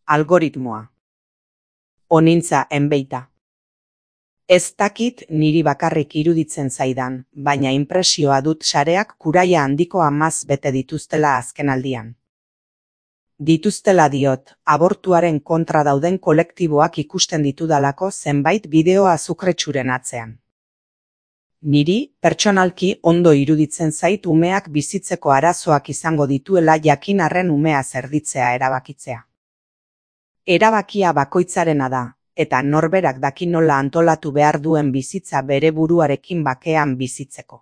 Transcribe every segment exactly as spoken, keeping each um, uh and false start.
Algoritmoa. Onintza enbeita. Ez dakit niri bakarrik iruditzen zaidan, baina inpresioa dut sareak kuraia handiko amaz bete dituztela azkenaldian. Dituztela diot, abortuaren kontra dauden kolektiboak ikusten ditudalako zenbait bideo azukretsuren atzean. Niri, pertsonalki ondo iruditzen zait umeak bizitzeko arazoak izango dituela jakin arren umea zerditzea erabakitzea. Erabakia bakoitzarena da, eta norberak daki nola antolatu behar duen bizitza bere buruarekin bakean bizitzeko.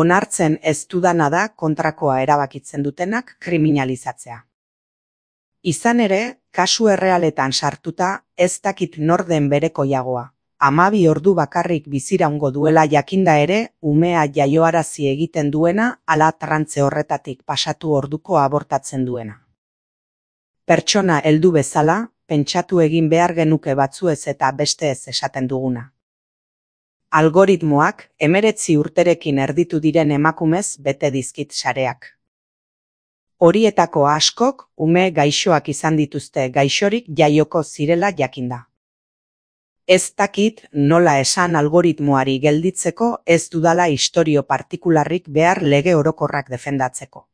Onartzen ez dudana da kontrakoa erabakitzen dutenak kriminalizatzea. Izan ere, kasu errealetan sartuta, ez dakit nor den bereko jagoa. Hamabi ordu bakarrik biziraungo duela jakinda ere, umea jaioarazi egiten duena, ala trantze horretatik pasatu orduko abortatzen duena. Pertsona heldu bezala, pentsatu egin behar genuke batzuez eta beste ez esaten duguna. Algoritmoak hemeretzi urterekin erditu diren emakumez bete dizkit sareak. Horietako askok ume gaixoak izan dituzte gaixorik jaioko zirela jakinda. Ez dakit nola esan algoritmoari gelditzeko ez dudala istorio partikularrik behar lege orokorrak defendatzeko.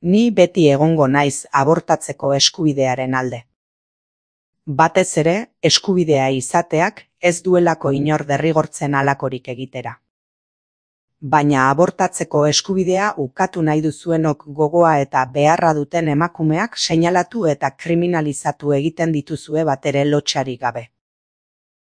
Ni beti egongo naiz abortatzeko eskubidearen alde. Batez ere, eskubidea izateak ez duelako inor derrigortzen halakorik egitera. Baina abortatzeko eskubidea ukatu nahi duzuenok gogoa eta beharra duten emakumeak seinalatu eta kriminalizatu egiten dituzue batere lotsarik gabe.